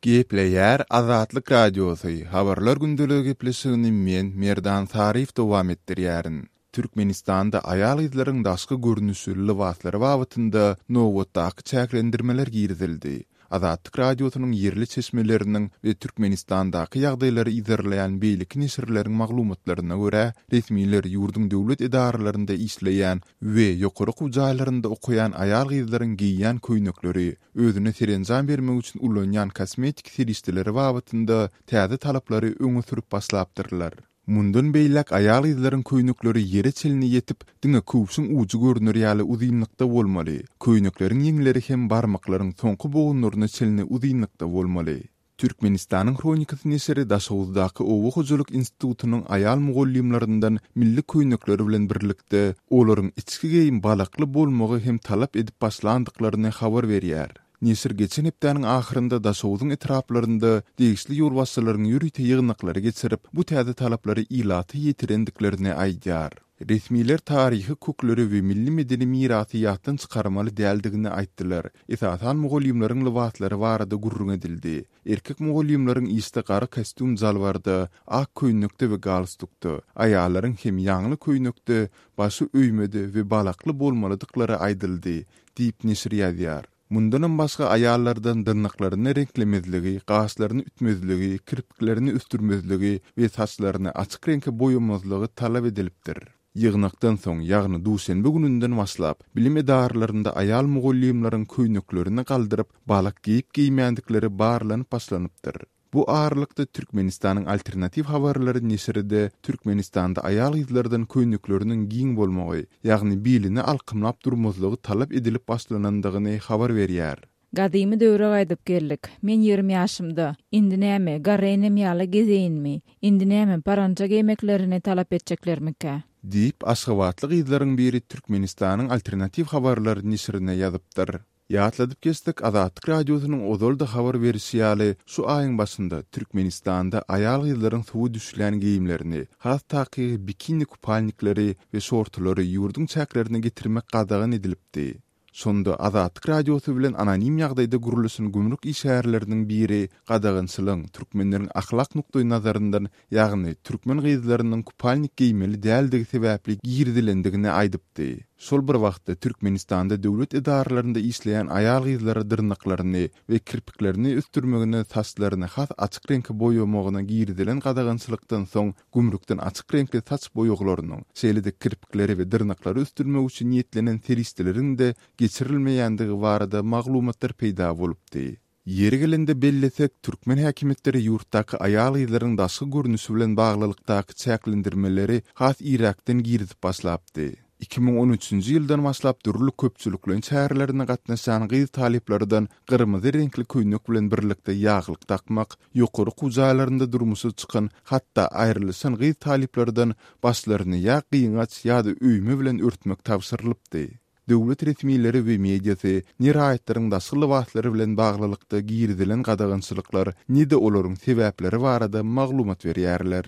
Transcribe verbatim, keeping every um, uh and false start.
Gepleýär Azatlyk Radiosy, Habarlar gündeligi gepleşigini men Merdan Saryýew dowam etdirýärin. Türkmenistanda aýal-gyzlaryň daşky görnüşi, lybaslary babatynda nobatdaky çäklendirmeler girizildi. Azatlyk Radiosynyň ýerli çeşmeleriniň we Türkmenistandaky ýagdaýlary yzarlaýan beýleki neşirleriň maglumatlaryna görä, resmiler ýurduň döwlet edaralarynda işleýän we ýokary okuw jaýlarynda okaýan aýal-gyzlaryň geýýän köýnekleri, özüne serenjam bermek üçin ulanýan kosmetik serişdeleri babatynda täze talaplary öňe sürüp başlapdyrlar. Mundan beýläk aýal-gyzlaryň köýnekleri ýere çenli ýetip, diňe köwşüň ujy görner ýaly uzynlykda bolmaly. Köýnekleriň ýeňleri hem barmaklaryň soňky bogunlaryna çenli uzynlykda bolmaly. Türkmenistanyň Hronikasy neşiri Daşoguzdaky oba hojalyk institutynyň aýal mugallymlaryndan milli köýnekleri bilen birlikde olaryň içki geýim balakly bolmagy hem talap edip başlandyklaryny habar berýär. Neşir geçen hepdäniň ahyrynda Daşoguzyň etraplarynda degişli ýolbaşçylaryň ýörite ýygnaklary geçirip, bu täze talaplary ilata ýetirendiklerini aýdýar. Resmiler taryhy kökleri we milli medeni mirasy ýatdan çykarmaly däldigini aýtdylar. Esasan mugallymlaryň lybaslary barada gürrüň edildi. Erkek mugallymlaryň işde gara kostýum jalbarda, ak köýnekde we galstukda, aýallaryň hem ýaňly köýnekde, başy öýmede we balakly bolmalydyklary aýdyldy, diýip neşir ýazýar. Mundanam başga aýallardan dyrnaklaryny reňklemezligi, gaşlaryny ütmezligi, kirpiklerini ösdürmezligi we saçlaryny açyk reňke boýamazlygy talap edilipdir. Ýygnakdan soň, ýagny duşenbe gününden başlap, bilim edaralarynda aýal mugallymlaryň köýneklerini galdyryp, balak geýip-geýmändikleri barlanyp başlanypdyr. Bu aralykda Türkmenistanyň Alternatiw habarlary neşiri-de Türkmenistanda aýal-gyzlardan köýnekleriniň giň bolmagy, ýagny bilini alkymlap durmazlygy talap edilip başlanandygyny habar berýär. Gadymy döwre gaýdyp geldik. Men ýigrimi ýaşymda. Indi näme, garry enem ýaly gezeýinmi? Indi näme, paranja geýmeklerini talap etjeklermikä? Diýip, aşgabatly gyzlaryň biri Türkmenistanyň Alternatiw habarlary neşirine ýazypdyr. Ýatladyp geçsek, Azatlyk Radiosynyň ozal-da habar berişi ýaly, şu aýyň başynda Türkmenistanda aýal-gyzlaryň suwa düşülýän geýimlerini, has takygy bikini kupalnikleri we şortulary ýurduň çäklerine getirmek gadagan edilipdi. Şonda Azatlyk Radiosy bilen anonim ýagdaýda gürleşen gümrük işgärleriniň biri gadagançylygyň türkmenleriň ahlak nukdaýnazaryndan, ýagny türkmen gyzlarynyň kupalnik geýmeli däldigi sebäpli girizilendigini aýdypdy. Şol bir wagtda Türkmenistanda döwlet edaralarynda işleýän aýal-gyzlara dyrnaklaryny we kirpiklerini ösdürmegine, saçlaryny has açyk reňke boýamagyna girizilen gadagançylykdan soň gümrükden açyk reňkli saç boýaglarynyň, şeýle-de kirpikleri we dyrnaklary ösdürmek üçin niýetlenen serişdeleriň-de geçirilmeýändigi barada maglumatlar peýda bolupdy. Ýeri gelende bellesek, türkmen häkimiýetleri ýurtdaky aýal-gyzlaryň daşky görnüşi bilen baglylykdaky çäklendirmeleri has irräkden girizip başlapdy. Iki müň on üçünji ýyldan başlap dürli köpçülikleýin çärelerine gatnaşýan gyz talyplardan gyrmyzy reňkli köýnek bilen birlikde ýaglyk dakmak, ýokary okuw jaýlarynda durmuşa çykan, hatda aýrylyşan gyz talyplardan başlaryny ýa gyňaç ýa-da öýme bilen örtmek tabşyrylypdy. Döwlet resmileri we mediasy ne raýatlaryň daşky lybaslary bilen baglylykda girizilen gadagançylyklar, ne-de olaryň sebäpleri barada maglumat berýärler.